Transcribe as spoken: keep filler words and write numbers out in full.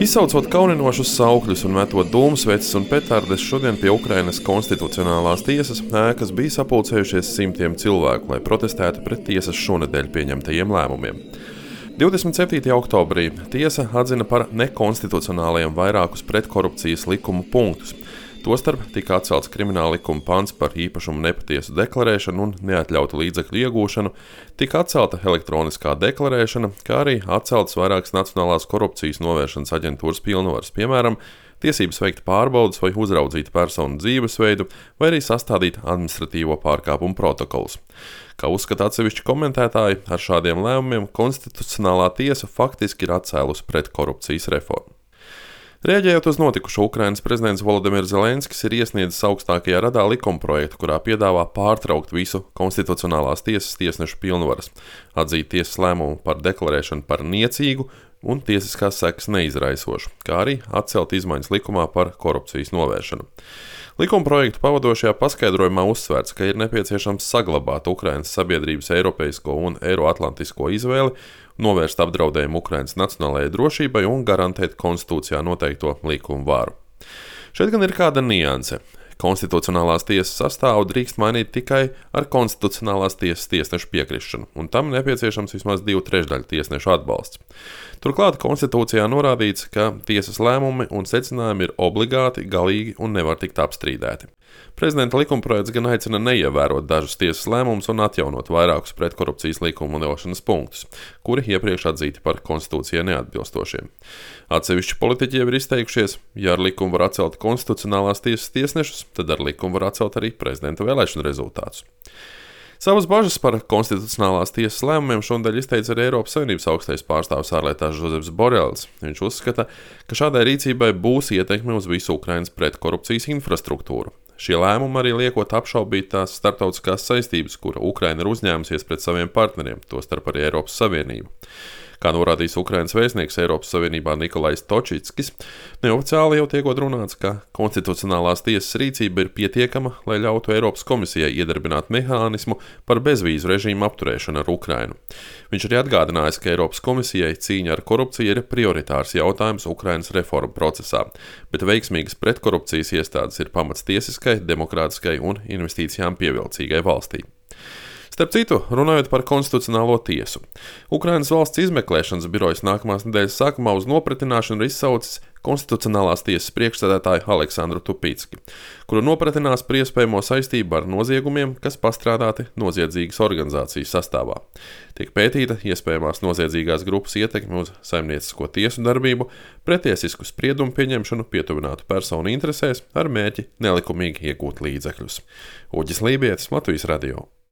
Izsaucot kauninošus saukļus un metot dūmsveces un petardes, šodien pie Ukrainas konstitucionālās tiesas ēkas bija sapulcējušies simtiem cilvēku, lai protestētu pret tiesas šonedēļ pieņemtajiem lēmumiem. divdesmit septītajā oktobrī tiesa atzina par nekonstitucionāliem vairākus pretkorupcijas likumu punktus. Tostarp tika atcelts krimināla likuma pants par īpašumu nepatiesu deklarēšanu un neatļautu līdzekļu iegūšanu, tika atcelta elektroniskā deklarēšana, kā arī atceltas vairākas Nacionālās korupcijas novēršanas aģentūras pilnvaras, piemēram, tiesības veikt pārbaudes vai uzraudzīt personu dzīvesveidu, vai arī sastādīt administratīvo pārkāpumu protokolus. Kā uzskata atsevišķi komentētāji, ar šādiem lēmumiem konstitucionālā tiesa faktiski ir atcēlusi pretkorupcijas reformu. Rēģējot uz notikušo, Ukrainas prezidents Volodimirs Zelenskis ir iesniedzis augstākajā radā likumprojektu, kurā piedāvā pārtraukt visu konstitucionālās tiesas tiesnešu pilnvaras, atzīt tiesas lēmumu par deklarēšanu par niecīgu un tiesiskās sekas neizraisošu, kā arī atcelt izmaiņas likumā par korupcijas novēršanu. Likumprojektu pavadošajā paskaidrojumā uzsvērts, ka ir nepieciešams saglabāt Ukrainas sabiedrības eiropeisko un eiroatlantisko izvēli, novērst apdraudējumu Ukrainas nacionālajai drošībai un garantēt konstitūcijā noteikto likumu varu. Šeit gan ir kāda nianse. Konstitucionālās tiesas sastāvu drīkst mainīt tikai ar konstitucionālās tiesas tiesnešu piekrišanu, un tam nepieciešams vismaz divu trešdaļu tiesnešu atbalsts. Turklāt konstitūcijā norādīts, ka tiesas lēmumi un secinājumi ir obligāti, galīgi un nevar tikt apstrīdēti. Prezidenta likumprojekts gan aicina neievērot dažus tiesas lēmumus un atjaunot vairākus pretkorupcijas likuma likumdošanas punktus, kuri iepriekš atzīti par konstitūcijai neatbilstošiem. Atsevišķi politiķi jau ir izteikušies, ja ar likumu var atcelt konstitucionālās tiesas tiesnešus, tad ar likumu var atcelt arī prezidenta vēlēšanu rezultātus. Savas bažas par konstitucionālās tiesas lēmumiem šonadēļ izteica arī Eiropas Savienības augstais pārstāvis ārlietās Žozeps Borels. Viņš uzskata, ka šādai rīcībai būs ietekme uz visu Ukrainas pretkorupcijas infrastruktūru. Šie lēmumi arī liekot apšaubīt tās starptautiskās saistības, kura Ukraina ir uzņēmusies pret saviem partneriem, tostarp arī Eiropas Savienību. Kā norādījis Ukrainas vēstnieks Eiropas Savienībā Nikolais Točickis, neoficiāli jau tiekot runāts, ka konstitucionālās tiesas rīcība ir pietiekama, lai ļautu Eiropas komisijai iedarbināt mehānismu par bezvīzu režīmu apturēšanu ar Ukrainu. Viņš arī atgādinājis, ka Eiropas komisijai cīņa ar korupciju ir prioritārs jautājums Ukrainas reformu procesā, bet veiksmīgas pretkorupcijas iestādes ir pamats tiesiskai, demokrātiskai un investīcijām pievilcīgai valstī. Starp citu, runājot par konstitucionālo tiesu, Ukrainas valsts izmeklēšanas birojas nākamās nedēļas sākumā uz nopratināšanu ir izsaucis konstitucionālās tiesas priekšsēdētāju Aleksandru Tupicki, kuru nopratinās par iespējamo saistību ar noziegumiem, kas pastrādāti noziedzīgas organizācijas sastāvā. Tiek pētīta iespējamās noziedzīgās grupas ietekme uz saimniecisko tiesu darbību, pretiesisku spriedumu pieņemšanu pietuvinātu personu interesēs ar mērķi nelikumīgi iegūt līdzekļus. Uģis Lībietis, Latvijas radio.